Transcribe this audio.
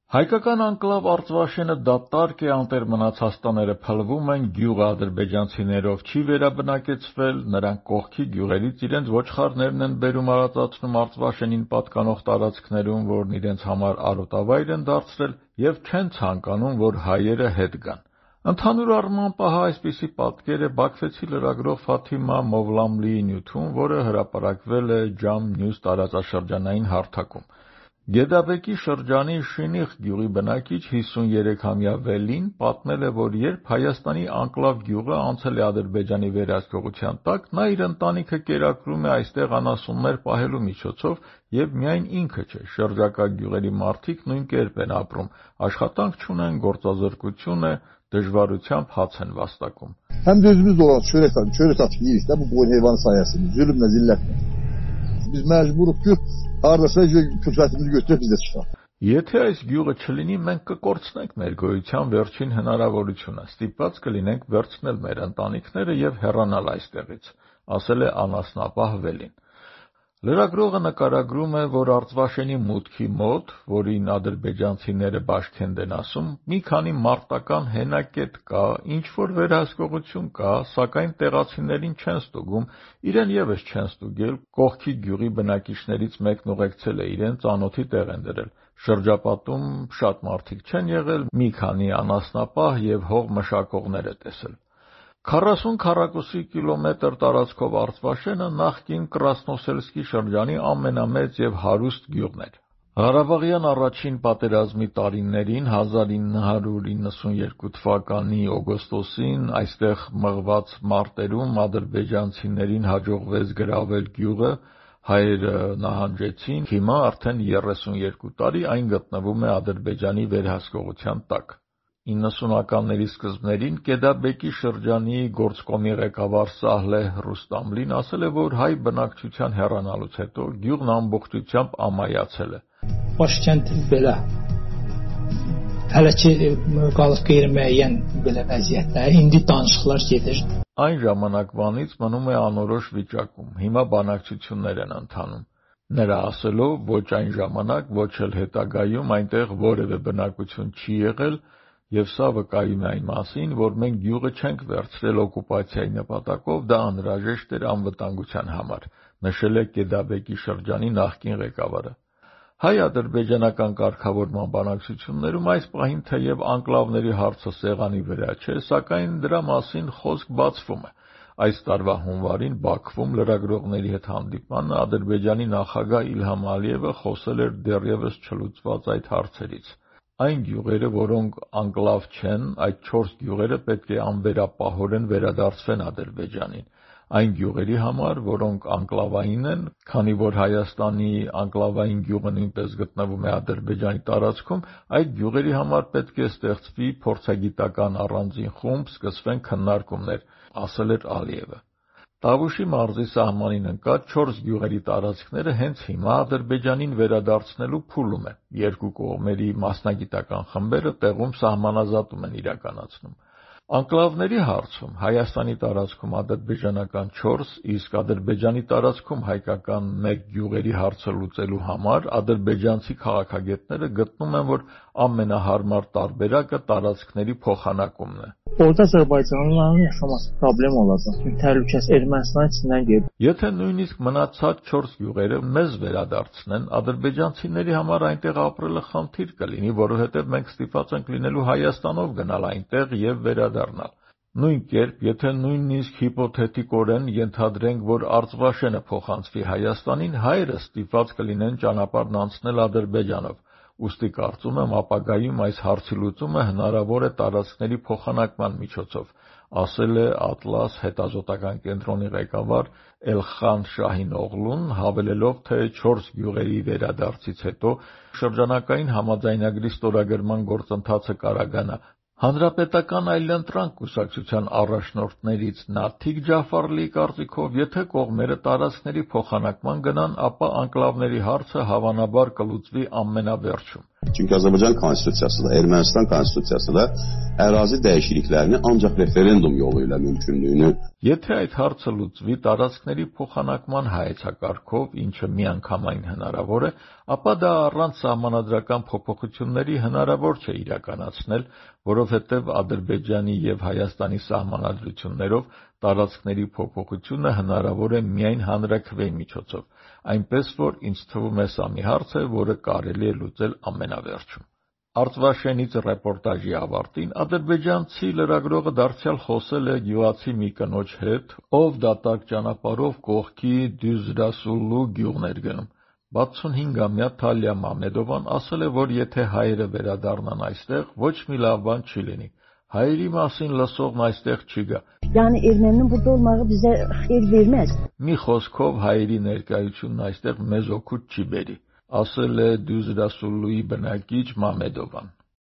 Հայկական անկլավ Արծվաշենը դատարկ է, անտեր մնացած տները փլվում են, գյուղը ադրբեջանցիներով չի վերաբնակեցվել, նրանք կողքի գյուղերից իրենց ոչխարներն են բերում արածացնում Արծվաշենին պատկանող տարածքներում, որն իրենց համար արոտավայր են դարձրել և չեն ցանկանում, որ հայերը հետ գան։ Ընդհանուր առմամբ ահա այսպիսի պատկեր է Բաքվեցի լրագրող Ֆաթիմա Մովլամլիի նյութում, որը հրապարակվել է Ջամ Նյուզ տարածաշրջանային հարթակում։ Գեդաբեկի շրջանի Շինիխ գյուղի բնակիչ 53-ամյա Վելին պատմել է, որ երբ Հայաստանի անկլավ գյուղը անցել է Ադրբեջանի վերահսկողության տակ, նա իր ընտանիքը կերակրում է այստեղ անասուններ պահելու միջոցով և միայն ինքը չէ, շրջակա գյուղերի մարդիկ նույն կերպ են ապրում, աշխատանք չունեն, գործազրկություն է, դժվարությամբ հաց են վաստակում։ Hem de özümüz olan çörek atıp yiyiz de bu boyun hayvanı sayesinde. Zulümle zilletle. Biz mecburuk ki hardasa külfətimizi götürüp bizdə çıxaq. Եթե այս գյուղը չլինի, մենք կկորցնենք մեր գոյության վերջին հնարավորությունը, ստիպված կլինենք վերցնել մեր ընտանիքները և հեռանալ այստեղից, ասել է անասնապահ Վելին։ Լրագրողը նկարագրում է, որ Արծվաշենի մուտքի մոտ, որին ադրբեջանցիները Բաշքենդ են ասում, մի քանի մարտական հենակետ կա, ինչ-որ վերահսկողություն կա, սակայն տեղացիներին չեն ստուգում, իրեն ևս չեն ստուգել, կողքի գյուղի բնակիչներից մեկն ուղեկցել է իրեն, ծանոթի տեղ են դրել։ Շրջապատում շատ մարդիկ չեն եղել, մի քանի անասնապահ և հող մշակողներ է տեսել։ 40 քառակուսի կիլոմետր տարածքով Արծվաշենը նախկին Կրասնոսելսկի շրջանի ամենամեծ և հարուստ գյուղն էր։ Ղարաբաղյան առաջին պատերազմի տարիներին 1992 թվականի օգոստոսին այստեղ մղված մարտերում ադրբեջանցիներին հաջողվեց գրավել գյուղը, հայերը նահանջեցին, հիմա արդեն 32 տարի այն գտնվում է Ադրբեջանի վերահսկողության տակ։ 90-ականների սկզբներին Գեդաբեկի շրջանի գործկոմի ղեկավար Սահլեհ Ռուստամլին ասել է, որ հայ բնակչության հեռանալուց հետո գյուղն ամբողջությամբ ամայացել է։ Başkent belə hələ ki qalıb qeyri-müəyyən belə vəziyyətdə, indi danışıqlar gedir։ Այն ժամանակվանից մնում է անորոշ վիճակում, հիմա բանակցություններ են ընթանում։ Նրա ասելով, ոչ այն ժամանակ, ոչ էլ հետագայում այնտեղ որևէ բնակություն չի եղել, և սա վկայում է այն մասին, որ մենք գյուղը չենք վերցրել օկուպացիայի նպատակով, դա անհրաժեշտ էր անվտանգության համար, նշել է Գեդաբեկի շրջանի նախկին ղեկավարը։ Հայ-ադրբեջանական կարգավորման բանակցություններում այս պահին թեև անկլավների հարցը սեղանի վրա չէ, սակայն դրա մասին խոսք բացվում է։ Այս տարվա հունվարին Բաքվում լրագրողների հետ հանդիպմանը Ադրբեջանի նախագահ Իլհամ Ալիևը խոսել էր դեռևս չլուծված այդ հարցերից։ Այն գյուղերը, որոնք անկլավ չեն, այդ 4 գյուղերը պետք է անվերապահորեն վերադարձվեն Ադրբեջանին։ Այն գյուղերի համար, որոնք անկլավային են, քանի որ Հայաստանի անկլավային գյուղը նույնպես գտնվում է Ադրբեջանի տարածքում, այդ գյուղերի համար պետք է ստեղծվի փորձագիտական առանձին խումբ, սկսվեն քննարկումներ, ասել էր Ալիևը։ Տավուշի մարզի սահմանին ընկած 4 գյուղերի տարածքները հենց հիմա Ադրբեջանին վերադարձնելու փուլում է։ Երկու կողմերի մասնագիտական խմբերը տեղում սահմանազատում են իրականացնում։ Անկլավների հարցում Հայաստանի տարածքում ադրբեջանական 4, իսկ Ադրբեջանի տարածքում հայկական 1 գյուղերի հարցը լուծելու համար ադրբեջանցի քաղաքագետները գտնում են, որ ամենահարմար տարբերակը տարածքների փոխանակումն է։ Orada Azərbaycanlıların yaşaması problem olacaq. Çünki təhlükəsi Ermənistan içindən gedir։ Եթե նույնիսկ մնացած 4 գյուղերը մեզ վերադարձնեն, ադրբեջանցիների համար այնտեղ ապրելը խնդիր կլինի, որովհետև մենք ստիպված ենք լինելու Հայաստանով գնալ այնտեղ եւ վերադառնալ։ Նույն կերպ, եթե նույնիսկ հիպոթետիկորեն ենթադրենք, որ Արծվաշենը փոխանցվի Հայաստանին, հայերը ստիպված կլինեն ճանապարհն անցնել Ադրբեջանով։ Ուստի կարծում եմ ապագայում այս հարցի լուծումը հնարավոր է տարածքների փոխանակման միջոցով, ասել է Ատլաս հետազոտական կենտրոնի ղեկավար Էլխան Շահին Օղլուն, հավելելով, թե 4 գյուղերի վերադարձից հետո շրջանակային համաձայնագրի ստորագրման գործընթացը կարագանա։ Հանրապետական այլընտրանք կուսակցության առաջնորդներից Նաթիկ Ջաֆարլիի կարծիքով, եթե կողմերը տարածքների փոխանակման գնան, ապա անկլավների հարցը հավանաբար կլուծվի ամենավերջում։ Çünki Azərbaycan konstitusiyası da, Ermənistan konstitusiyası da ərazi dəyişikliklərini ancaq referendum yolu ilə mümkünlüyünü. Եթե այդ հարցը լուծվի տարածքների փոխանակման հայեցակարգով, ինչը միանգամայն հնարավոր է, ապա դա առանց սահմանադրական փոփոխությունների հնարավոր չէ իրականացնել, որովհետև Ադրբեջանի եւ Հայաստանի սահմանադրություններով տարածքների փոփոխությունը հնարավոր է միայն հանրաքվեի միջոցով, այնպես որ ինձ թվում է սա մի հարց է, որը կարելի է լուծել ամենավերջում։ Արցվաշենից ռեպորտաժի ավարտին ադրբեջանցի լրագրողը դարձյալ խոսել է գյուղացի մի կնոջ հետ, ով դատարկ ճանապարհով կողքի Դյուզրասուլլու գյուղն էր գնում։ 65-ամյա Թալիա Մամեդովան ասել է, որ եթե հայերը վերադառնան այստեղ, ոչ մի լավ բան չի լինի։ Հայերի մասին լսողն այստեղ չի գա։ Yani Erməninin burada olmağı bizə xeyir verməz։ Մի խոսքով հայերի ներկայությունն այստեղ մեզ օգուտ չի բերի, ասել է Դյուզրասուլլուի բնակիչ Մամեդովան։